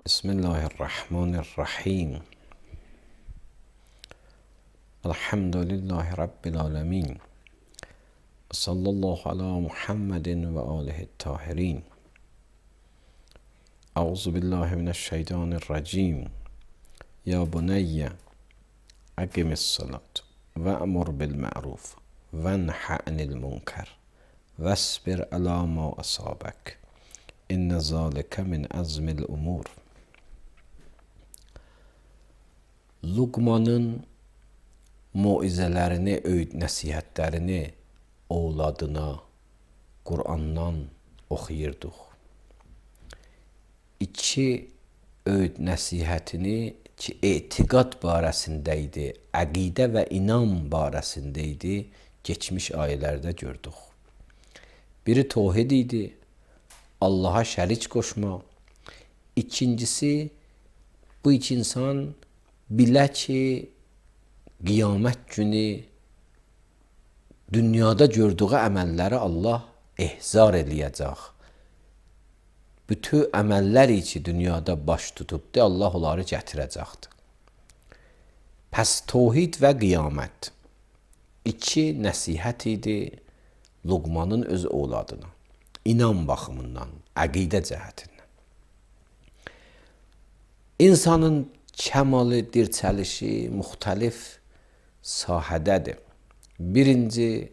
Bismillahirrahmanirrahim. Elhamdülillahi Rabbil alemin. Sallallahu ala Muhammedin ve alihi tahirin. Euzu billahi mineşşeytanirracim. Ya buneyye akimis salat ve emur bil ma'ruf ve nha anil munkar vesbir ala ma asabek. İnne zalike min azmil umur. Luqmanın muizələrini, öğüt nəsihətlərini oğladına Qur'andan oxuyurduq. İki öğüt nəsihətini ki, etiqad barəsində idi, əqidə və inam barəsində idi, geçmiş ayələrdə gördük. Biri tevhid idi, Allah'a şərik qoşma. İkincisi, bu iki insan bilə ki, qiyamət günü dünyada gördüğü əməlləri Allah ehzar eləyəcək. Bütün əməllər içi dünyada baş tutubdu, Allah onları gətirəcəkdir. Pəs tevhid və qiyamət iki nəsihət idi Luqmanın öz oğladına. İnam baxımından, əqidə cəhətindən. İnsanın kəmalı, dirçəlişi müxtəlif sahədədir. Birinci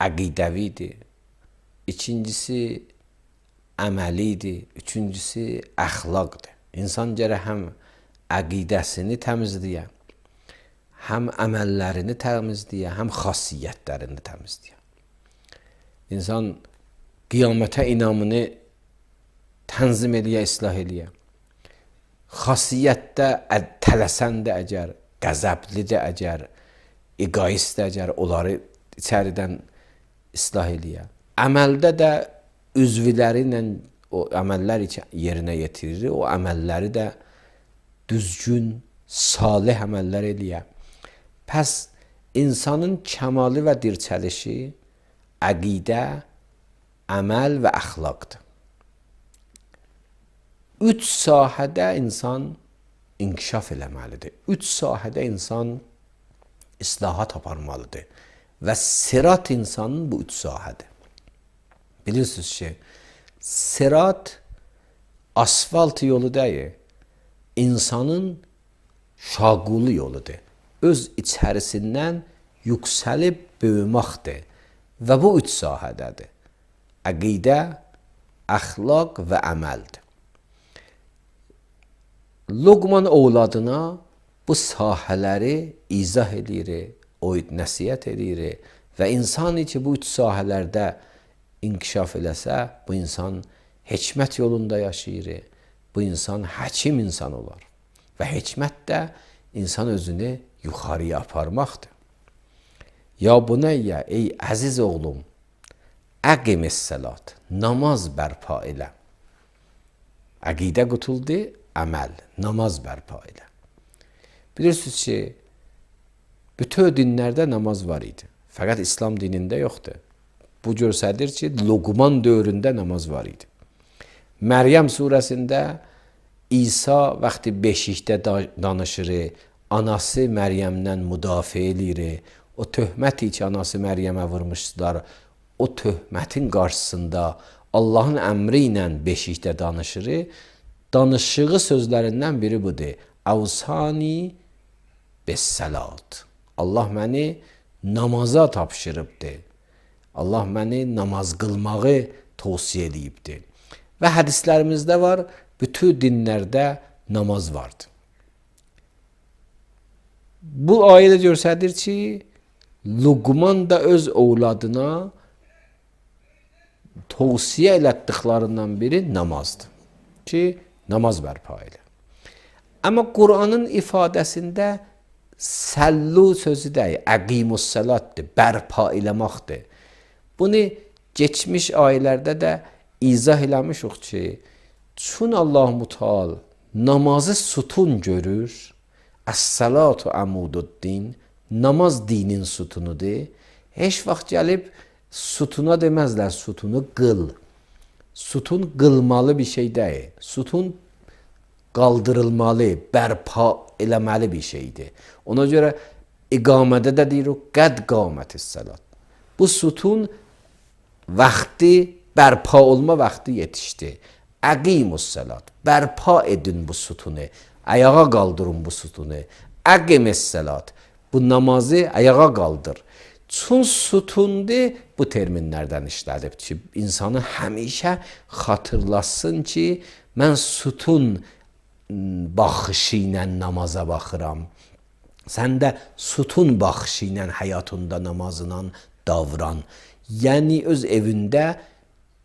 əqidəvidir, ikincisi əməlidir, üçüncüsü əxlaqdır. İnsan gərək həm əqidəsini təmizləyə, həm əməllərini təmizləyə, həm xasiyyətlərini təmizləyə. İnsan qiyamətə inamını tənzim eləyə, islah eləyə. Xasiyyətdə tələsəndə əgər, qəzəblidə əgər, egoistdə əgər, onları içəridən islah eləyə. Əməldə də üzvləri ilə o əməllər yerinə yetirir, o əməlləri də düzgün, salih əməllər eləyə. Pəs insanın kəmalı və dirçəlişi əqidə, əməl və əxlaqdır. Üç sahədə insan inkişaf eləməlidir. Üç sahədə insan islahat aparmalıdır. Və sirat insanın bu üç sahədir. Bilirsiniz ki, sirat asfalt yolu deyil, insanın şaqulu yoludur. Öz içərisindən yüksəlib böyüməkdir. Və bu üç sahədədir. Əqidə, əxlaq və əməldir. Luqman oğladına bu sahələri izah edir, öğüt nəsihət edir və insan ki, bu üç sahələrdə inkişaf eləsə, bu insan hikmət yolunda yaşayır, bu insan həkim insan olar. Və hikmət də insan özünü yuxarıya aparmaqdır. Ya buneyyə, ey əziz oğlum, əqimis salat, namaz bərpa elə. Əqidə qutuldu, əməl, namaz bərpa elə. Bilirsiniz ki, bütün dinlərdə namaz var idi. Fəqət İslam dinində yoxdur. Bu göstərir ki, Luqman dövründə namaz var idi. Məryəm surəsində İsa vaxtı beşikdə danışır, anası Məryəmdən müdafiə edir. O töhməti ki, anası Məryəmə vurmuşdular, o töhmətin qarşısında Allahın əmri ilə beşikdə danışır. Danışığı sözlərindən biri budur. Əvsani bəs-salat. Allah məni namaza tapşırıbdır. Allah məni namaz qılmağı tövsiyə edibdir. Və hədislərimizdə var, bütün dinlərdə namaz vardır. Bu ayədə göstərir ki, Luqman da öz oğladına tövsiyə elətdiklərindən biri namazdır. Ki, namaz bərpa elə. Amma Qur'anın ifadəsində səllu sözü deyil, əqimus salatdır, bərpa eləməkdir. Bunu geçmiş ayələrdə də izah eləmişik ki, çün Allah-u Teala namazı sütun görür, əs-salatu əmududdin, namaz dinin sütunudur. Heç vaxt gəlib sütuna deməzlər, sütunu qıl. Sütun qılmalı bir şey deyil. Sütun qaldırılmalı, bərpa eləməli bir şeydir. Ona görə iqamədə də deyir o qəd qamətis salat. Bu sütun vaxtı, bərpa olma vaxtı yetişdi. Əqimus salat. Bərpa edin bu sütunu. Ayağa qaldırın bu sütunu. Əqimis salat. Bu namazı ayağa qaldır. Çün sütundur bu terminlərdən işlədib ki, insanı həmişə xatırlasın ki, mən sütun baxışı ilə namaza baxıram. Sən də sütun baxışı ilə həyatında namazla davran. Yəni öz evində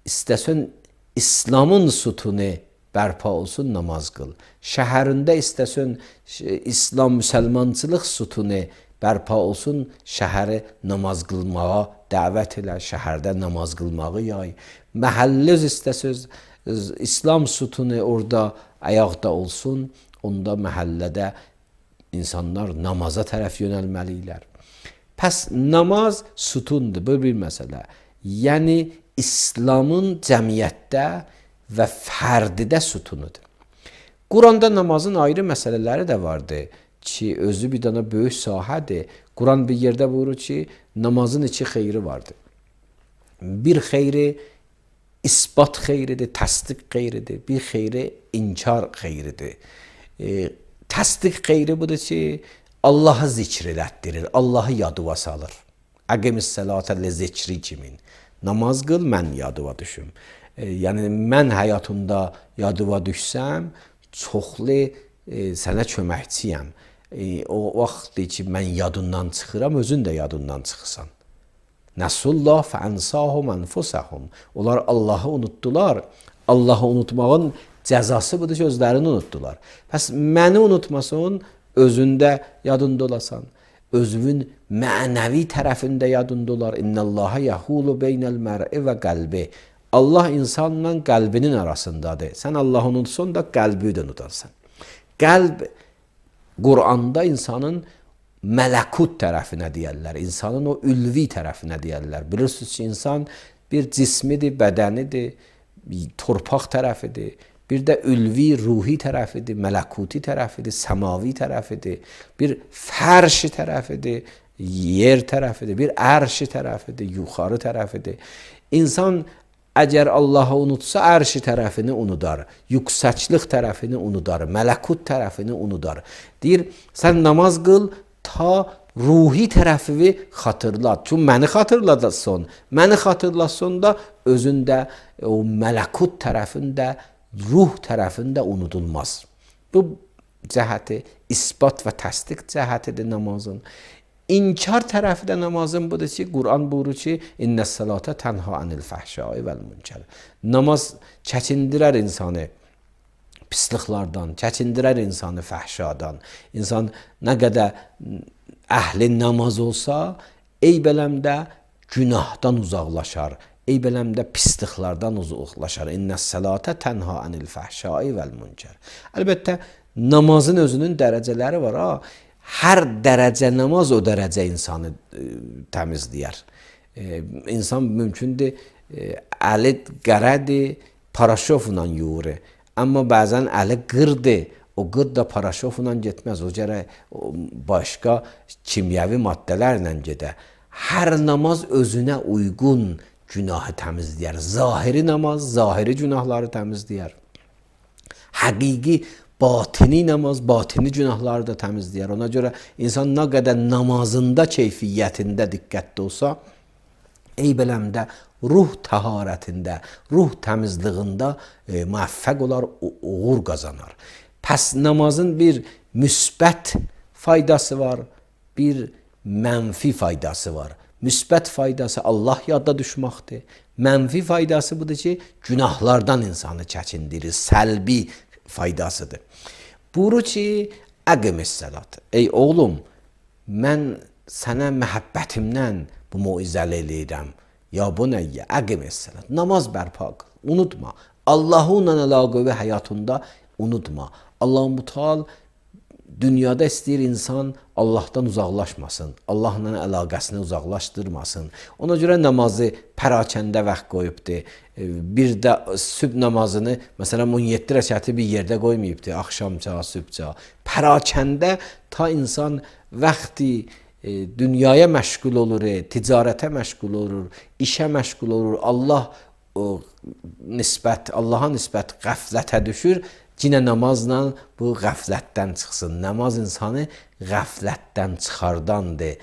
istəsən İslamın sütunu bərpa olsun, namaz qıl. Şəhərində istəsən İslam, müsəlmançılıq sütunu bərpa olsun, şəhəri namaz qılmağa dəvət elə, şəhərdə namaz qılmağı yay. Məhəllə istəsəz İslam sütunu orada ayaqda olsun, onda məhəllədə insanlar namaza tərəf yönəlməlidirlər. Pəs namaz sütundur, bu bir məsələ. Yəni İslamın cəmiyyətdə və fərdidə sütunudur. Quranda namazın ayrı məsələləri də vardır ki, özü bir dana böyük sahədir. Quran bir yerdə buyurur ki, namazın iki xeyri vardır. Bir xeyri isbat xeyridir, təsdiq xeyridir. Bir xeyri inkar xeyridir. Təsdiq xeyri budur ki, Allah'ı zikr elətdirir, Allah'ı yadıva salır. Əqimis sələtə li zikri kimin. Namaz qıl, mən yadıva düşüm. Yəni, mən həyatımda yadıva düşsəm, çoxlu sənə köməkçiyəm. O vaxtdır ki, mən yadından çıxıram, özün də yadından çıxırsan. Nəsullah fəənsahum ənfusəhum. Onlar Allah'ı unutdular. Allah'ı unutmağın cəzası budur ki, özlərini unutdular. Pəs məni unutmasın, özündə yadında olasan. Özünün mənəvi tərəfində yadında olar. İnnəllaha yəhulu beynəl mər'i və qəlbi. Allah insanla qəlbinin arasındadır. Sən Allah'ı unutsan da qəlbi də unutarsan. Qəlb, Qur'anda insanın mələkut tərəfinə deyərlər. İnsanın o ülvi tərəfinə deyərlər. Bilirsiniz ki, insan bir cismidir, bədənidir, torpaq tərəfidir. Bir də ülvi, ruhi tərəfidir, mələkuti tərəfidir, səmavi tərəfidir. Bir fərşi tərəfidir, yer tərəfidir, bir ərşi tərəfidir, yuxarı tərəfidir. İnsan əgər Allah'ı unutsa, ərşi tərəfini unudar, yüksəklik tərəfini unudar, mələkut tərəfini unudar. Deyir, sən namaz qıl, ta ruhi tərəfini xatırlat. Çünki məni xatırlatsan da özündə o mələkut tərəfində, ruh tərəfində unudulmaz. Bu cəhəti isbat və təsdiq cəhətidir namazın. İnkar tərəfi də namazın budur ki, Quran buyurur ki, İnnəs salata tənha anil fəhşai vəl münkər. Namaz çəkindirər insanı pisliklərdən, çəkindirər insanı fəhşadan. İnsan nə qədər əhli namaz olsa, eyb-eləmdə günahdan uzaqlaşar. Eyb-eləmdə pisliklərdən uzaqlaşar. İnnəs salata tənha anil fəhşai vəl münkər. Əlbəttə, namazın özünün dərəcələri var. Hər dərəcə namaz o dərəcə insanı təmizləyər. İnsan mümkündür, əli qərədir, paraşofla yuyur. Amma bəzən əli qırdır, o qırd da paraşofla getməz. O gərək başqa kimyəvi maddələrlə gedə. Hər namaz özünə uyğun günahı təmizləyər. Zahiri namaz, zahiri günahları təmizləyər. Həqiqi, batini namaz, batini günahları da təmizləyər. Ona görə insan nə qədər namazında, keyfiyyətində diqqətli olsa, eyb-eləmdə, ruh təharətində, ruh təmizliyində müvəffəq olar, uğur qazanar. Pəs namazın bir müsbət faydası var, bir mənfi faydası var. Müsbət faydası Allah yadda düşməkdir. Mənfi faydası budur ki, günahlardan insanı çəkindirir, səlbi faydasıdır. Buyurur ki, əqimis salat. Ey oğlum, mən sənə məhəbbətimdən bu muizəli eləyirəm. Ya bu nəyyə? Əqimis salat. Namaz bərpa qıl. Unutma. Allah'ınla əlaqəvi həyatında unutma. Allah-u Mutal dünyada istəyir insan Allahdan uzaqlaşmasın, Allahla əlaqəsini uzaqlaşdırmasın. Ona görə namazı pərakəndə vaxt qoyubdur. Bir də sübh namazını, məsələn 17 rəkəti bir yerdə qoymayıbdır, axşamca, sübhca. Pərakəndə ta insan vaxtı dünyaya məşğul olur, ticarətə məşğul olur, işə məşğul olur. Allaha nisbət qəflətə düşür. Yine namazla bu qəflətdən çıxsın. Namaz insanı qəflətdən çıxardandır.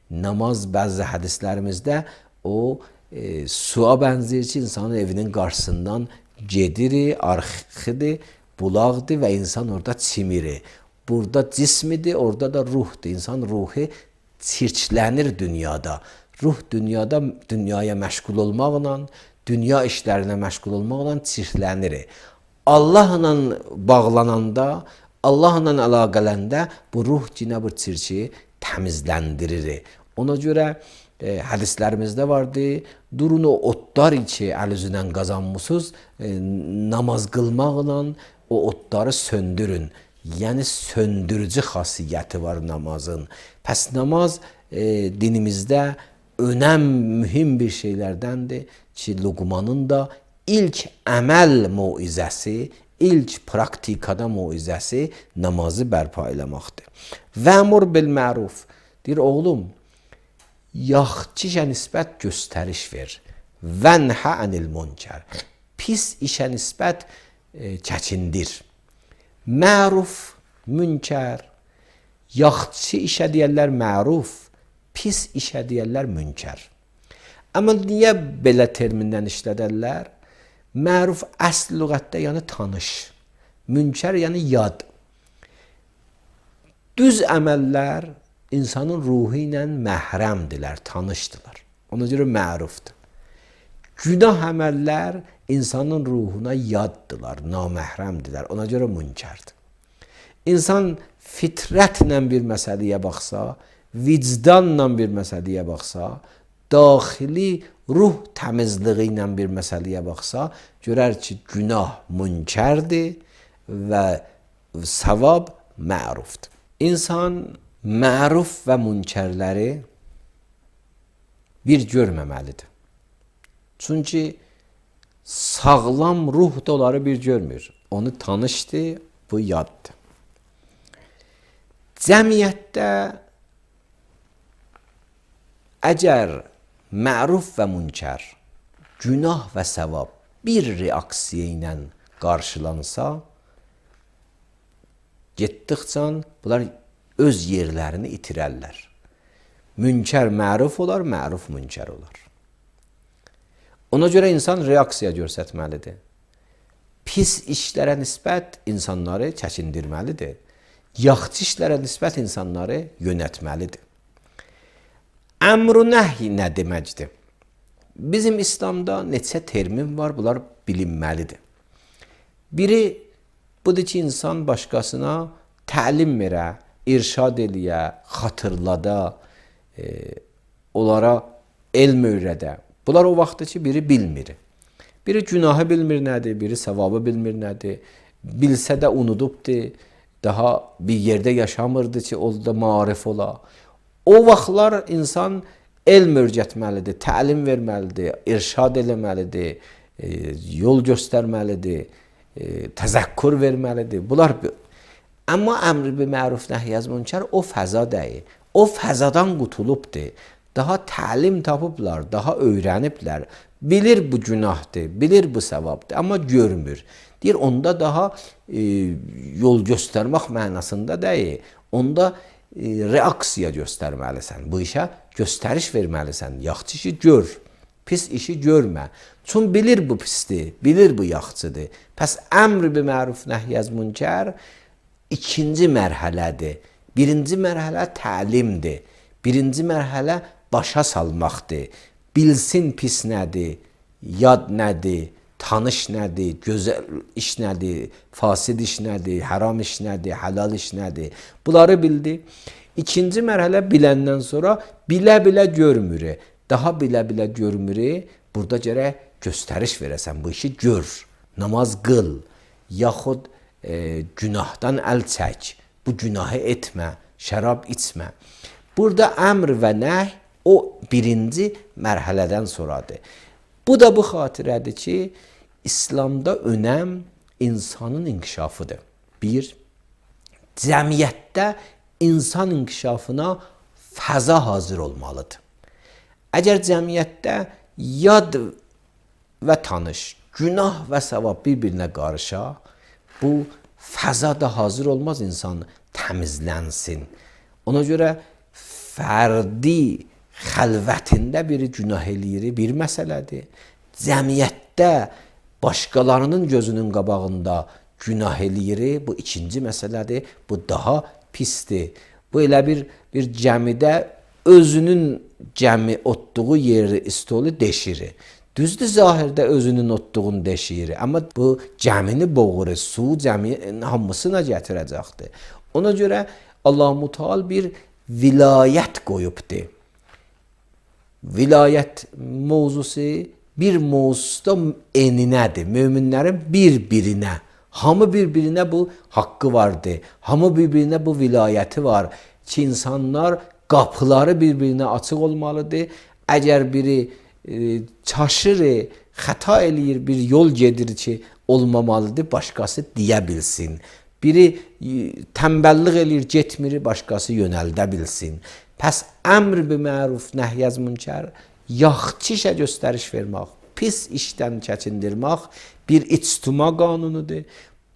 Namaz bəzi hədislərimizdə o suya bənzəyir ki, insanın evinin qarşısından gedir, arxidir, bulaqdır və insan orada çimir. Burada cismidir, orada da ruhdur. İnsan ruhu çirklənir dünyada. Ruh dünyaya məşğul olmaqla, dünya işlərinə məşğul olmaqla çirklənir. Allahla bağlananda, Allahla əlaqələndə bu ruh yine bu çirki təmizləndirir. Ona görə hədislərimizdə vardı, durun o otlar içi əl üzündən qazanmısınız, namaz qılmaqla o otları söndürün. Yəni söndürücü xasiyyəti var namazın. Pəs namaz dinimizdə mühim bir şeylərdəndir ki, Luqmanın da ilk əməl muizəsi, ilk praktikada muizəsi namazı bərpa eləməkdir. Vəmur bil məruf. Deyir, oğlum, yaxşı işə nisbət göstəriş ver. Vənhə ənil münkər. Pis işə nisbət çəkindir. Məruf, münkər. Yaxşı işə deyərlər məruf, pis işə deyərlər münkər. Amma niyə belə termindən işlədərlər? Məruf əsl lüğətdə yəni tanış. Münkər yəni yad. Düz əməllər insanın ruhu ilə məhrəmdirlər, tanışdırlar. Ona görə mərufdur. Günah əməllər insanın ruhuna yaddılar, naməhrəmdirlər. Ona görə münkərdir. İnsan fitrətlə bir məsələyə baxsa, vicdanla bir məsələyə baxsa, daxili ruh təmizliyi ilə bir məsələyə baxsa, görər ki, günah münkərdir və savab mərufdur. İnsan məruf və münkərləri bir görməməlidir. Çünki sağlam ruh da onları bir görmür. Onu tanışdır, bu yaddır. Cəmiyyətdə əgər məruf və münkər, günah və savab bir reaksiya ilə qarşılansa, getdikcə bunlar öz yerlərini itirərlər. Münkər məruf olar, məruf münkər olar. Ona görə insan reaksiya göstərməlidir. Pis işlərə nisbət insanları çəkindirməlidir. Yaxşı işlərə nisbət insanları yönətməlidir. Əmr-ü nəhy nə deməkdir? Bizim İslamda neçə termin var, bunlar bilinməlidir. Biri budur ki, insan başqasına təlim verə, irşad eləyə, xatırlada, onlara elm öyrədə. Bunlar o vaxtdır ki, biri bilmir. Biri günahı bilmir nədir, biri savabı bilmir nədir. Bilsə də unudubdur, daha bir yerdə yaşamırdı ki, o da marif ola. O vaxtlar insan elm öyrətməlidir, təlim verməlidir, irşad eləməlidir, yol göstərməlidir, təzəkkür verməlidir. Bunlar amma əmr bil məruf nəhy əz münkər o fəza deyil. O fəzadan qutulubdur. Daha təlim tapıblar, daha öyrəniblər. Bilir bu günahdır, bilir bu savabdır, amma görmür. Deyir, onda daha yol göstərmək mənasında deyil. Onda reaksiya göstərməlisən. Bu işə göstəriş verməlisən. Yaxşı işi gör, pis işi görmə. Çünki bilir bu pisdir, bilir bu yaxşıdır. Pəs əmr bil məruf nəhy əz münkər ikinci mərhələdir. Birinci mərhələ təlimdir. Birinci mərhələ başa salmaqdır. Bilsin pis nədir, yad nədir, tanış nədir, gözəl iş nədir, fasid iş nədir, haram iş nədir, halal iş nədir. Bunları bildi. İkinci mərhələ biləndən sonra bilə-bilə görmür. Daha bilə-bilə görmür. Burada gərək göstəriş verəsən. Bu işi gör, namaz qıl, yaxud günahdan əl çək. Bu günahı etmə, şərab içmə. Burada əmr və nəhy o birinci mərhələdən sonradır. Bu da bu xatirədir ki, İslamda önəm insanın inkişafıdır. Bir, cəmiyyətdə insan inkişafına fəza hazır olmalıdır. Əgər cəmiyyətdə yad və tanış, günah və savab bir-birinə qarışa, bu fəza da hazır olmaz insan təmizlənsin. Ona görə fərdi xəlvətində biri günah eləyir, bir məsələdir. Cəmiyyətdə başqalarının gözünün qabağında günah eləyir, bu ikinci məsələdir. Bu daha pisdir. Bu elə bir cəmidə özünün cəmi otduğu yeri, stolu deşirir. Düzdür, zahirdə özünün otduğunu deşirir. Amma bu cəmini boğur, su cəminin hamısına gətirəcəkdir. Ona görə Allah-u Teala bir vilayət qoyubdur. Vilayət mövzusu bir mövzuda eninədir. Möminlərin bir-birinə, hamı bir-birinə bu haqqı vardır. Hamı bir-birinə bu vilayəti var ki, insanlar qapıları bir-birinə açıq olmalıdır. Əgər biri çaşır, xəta eləyir, bir yol gedir ki, olmamalıdır, başqası deyə bilsin. Biri tənbəllik eləyir, getmir, başqası yönəldə bilsin. Pəs əmr bil məruf nəhy əz münkər, yaxşı işə göstəriş vermək, pis işdən çəkindirmək bir ictima qanunudur.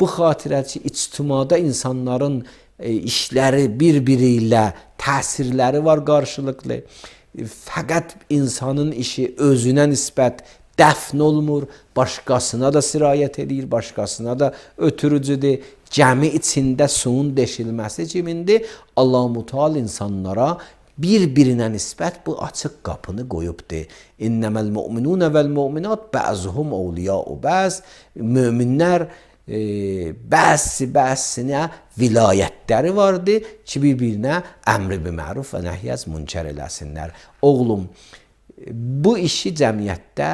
Bu xatirə ki, ictimada insanların işləri bir-biri ilə təsirləri var qarşılıqlı. Fəqət insanın işi özünə nisbət dəfn olmur, başqasına da sirayət edir, başqasına da ötürücüdür. Cəmi içində suyun deşilməsi kimindir? Allah-u Teala insanlara bir-birinə nisbət bu açıq qapını qoyubdur. İnnəməl mu'minunə vəl mu'minat bəzuhum awliya'u bəz. Möminlər bəzisinə vilayətləri vardır ki, bir-birinə əmr bil məruf və nəhy əz münkər eləsinlər. Oğlum, bu işi cəmiyyətdə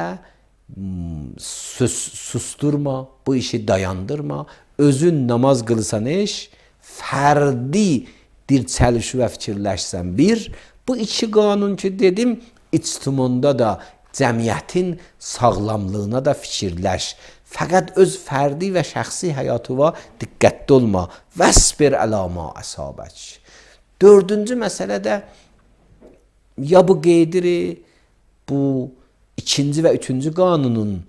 susturma, bu işi dayandırma. Özün namaz qılsan iş, fərdi dirçəlişi və fikirləşsən bir. Bu iki qanun ki dedim, ictimanda da cəmiyyətin sağlamlığına da fikirləş. Fəqət öz fərdi və şəxsi həyatıva diqqətli olma. Vəsbir ələ mə əsabək. Dördüncü məsələ də ya bu qeydir, bu ikinci və üçüncü qanunun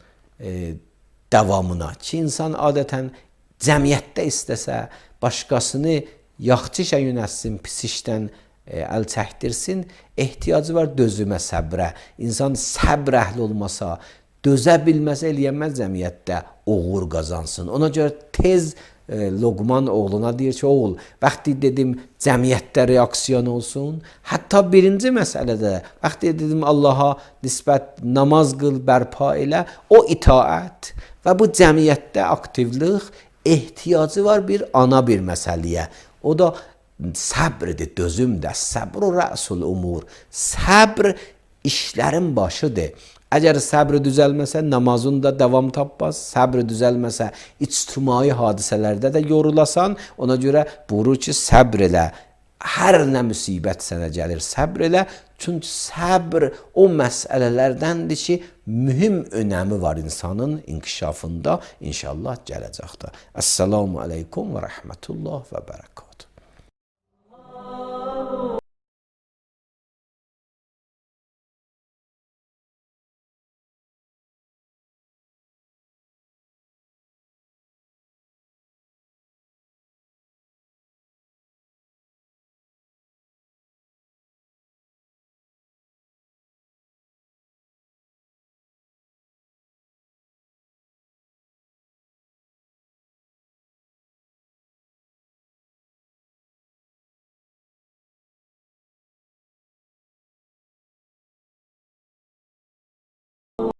davamına ki, insan adətən cəmiyyətdə istəsə, başqasını yaxşı işə yönətsin, pis işdən əl çəkdirsin, ehtiyacı var dözümə, səbrə. İnsan səbr əhli olmasa, dözə bilməsə eləyəməz cəmiyyətdə uğur qazansın. Ona görə tez Loqman oğluna deyir ki, oğul, vaxtı dedim cəmiyyətdə reaksiyon olsun. Hətta birinci məsələdə, vaxtı dedim Allaha nisbət namaz qıl, bərpa elə, o itaət və bu cəmiyyətdə aktivlik ehtiyacı var bir ana bir məsələyə. O da səbrdir, dözümdür. Səbr rəsul umur. Səbr işlərin başıdır. Əgər səbr düzəlməsə, namazın da davam tapmaz. Səbr düzəlməsə, ictimai hadisələrdə də yorulasan. Ona görə buyurur ki, səbr elə. hər nə müsibət sənə gəlir, səbr elə. Çünki səbr o məsələlərdəndir ki, mühüm önəmi var insanın inkişafında, inşallah gələcəkdə. Əssalamu aleykum və rəhmətullah və bərəkət.